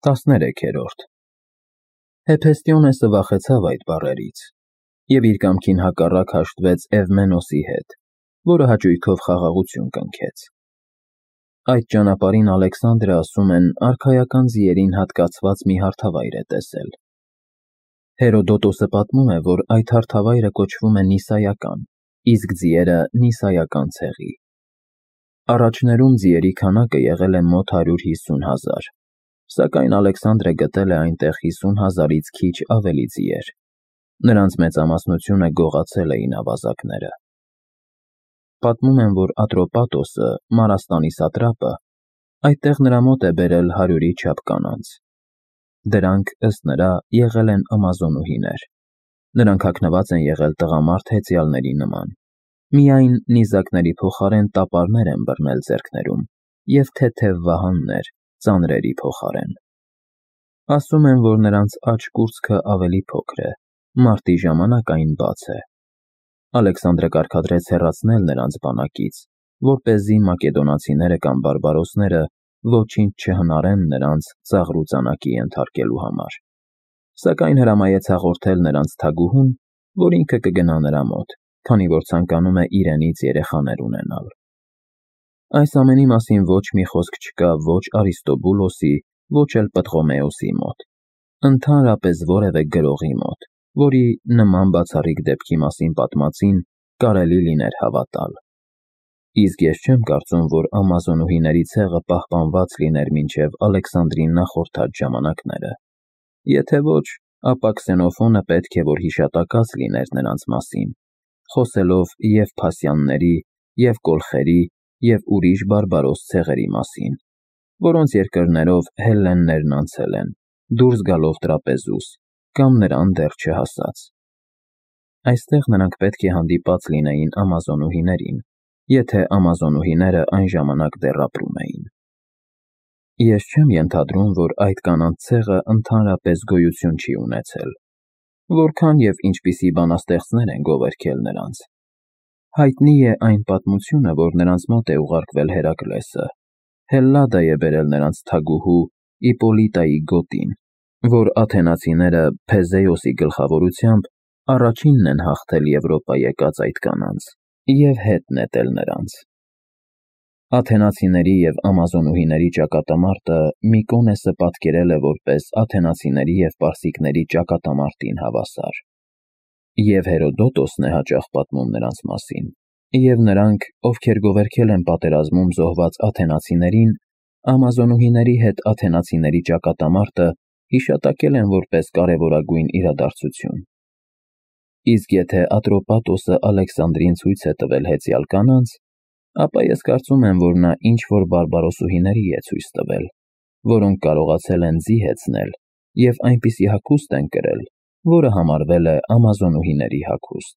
13-րդ Հեփեստիոնեսը վախեցավ այդ բառերից և իր կամքին հակառակ հաշտվեց Էվմենոսի հետ, որը հաճույքով խաղաղություն կնքեց։ Այդ ճանապարհին Ալեքսանդրը, ասում են, արքայական ձիերին հատկացված մի հարթավայր է տեսել։ Հերոդոտոսը պատմում է, որ այդ հարթավայրը կոչվում է Նիսայական, իսկ ձիերը Նիսայական ցեղի։ Առաջներում ձիերի քանակը եղել է մոտ 150,000, սակայն Ալեքսանդրը գտել է այնտեղ 50,000-ից քիչ ավելի ձիեր։ Նրանց մեծամասնությունը գողացել էին ավազակները։ Պատմում են, որ Ատրոպատոսը, Մարաստանի սատրապը, այդտեղ նրա մոտ է բերել 100-ի չափ կանանց։ Դրանք, ըստ նրա, եղել են ամազոնուհիներ։ Նրանք հագնված են եղել տղամարդ հեծյալների նման։ Միայն նիզակների փոխարեն տապարներ են բռնել ձեռքներում և թեթև վահաններ ծանրերի փոխարեն։ Ասում են, որ նրանց աջ կուրծքը ավելի փոքր է, մարտի ժամանակ այն բաց է։ Ալեքսանդրը կարգադրեց հեռացնել նրանց բանակից, որպեսզի մակեդոնացիները կամ բարբարոսները ոչինչ չհնարեն նրանց ծաղրուծանակի ենթարկելու համար, սակայն հրամայեց հաղորդել նրանց թագուհուն, որ ինքը կգնա նրա մոտ, քանի որ ցանկանում է իրենից երեխաներ ունենալ։ Այս ամենի մասին ոչ մի խոսք չկա ոչ Արիստոբուլոսի, ոչ էլ Պտղոմեոսի մոտ, ընդհանրապես որևէ գրողի մոտ, որի նման բացառիկ դեպքի մասին պատմածին կարելի լիներ հավատալ։ Իսկ ես չեմ կարծում, որ ամազոնուհիների ցեղը պահպանված լիներ մինչև Ալեքսանդրին նախորդած ժամանակները։ Եթե ոչ, ապա Քսենոֆոնը պետք է որ հիշատակած լիներ նրանց մասին, խոսելով և Փասյանների, և Կոլխերի, և ուրիշ բարբարոս ցեղերի մասին, որոնց երկրներով հելլեններն անցել են, դուրս գալով Տրապեզուս, կամ նրան դեռ չհասած։ Այստեղ նրանք պետք է հանդիպած լինեին ամազոնուհիներին, եթե ամազոնուհիները այն ժամանակ դեռ ապրում էին։ Ես չեմ ենթադրում, որ այդ կանանց ցեղը ընդհանրապես գոյություն չի ունեցել, որքան և ինչպիսի բանաստեղծներ են գովերգել նրանց։ Հայտնի է այն պատմությունը, որ նրանց մոտ է ուղարկվել Հերակլեսը, Հելլադա է բերել նրանց թագուհու Իպոլիտայի գոտին, որ աթենացիները Փեզեոսի գլխավորությամբ առաջինն են հաղթել Եվրոպա եկած այդ կանանց և հետ նետել նրանց։ Աթենացիների և ամազոնուհիների ճակատամարտը Միկոնեսը պատկերել է որպես աթենացիների և պարսիկների ճակատամարտին հավասար։ Եվ Հերոդոտոսն է հաճախ պատմում նրանց մասին, և նրանք, ովքեր գովերգել են պատերազմում զոհված աթենացիներին, ամազոնուհիների հետ աթենացիների ճակատամարտը հիշատակել են որպես կարևորագույն իրադարձություն։ Իսկ եթե Ատրոպատոսը Ալեքսանդրին ցույց է տվել հեծյալ կանանց, ապա ես կարծում եմ, որ նա ինչ-որ բարբարոսուհիների է ցույց տվել, որոնք կարողացել են ձի հեծնել և այնպիսի հագուստ են կրել, որը համարվել է ամազոնուհիների հագուստ։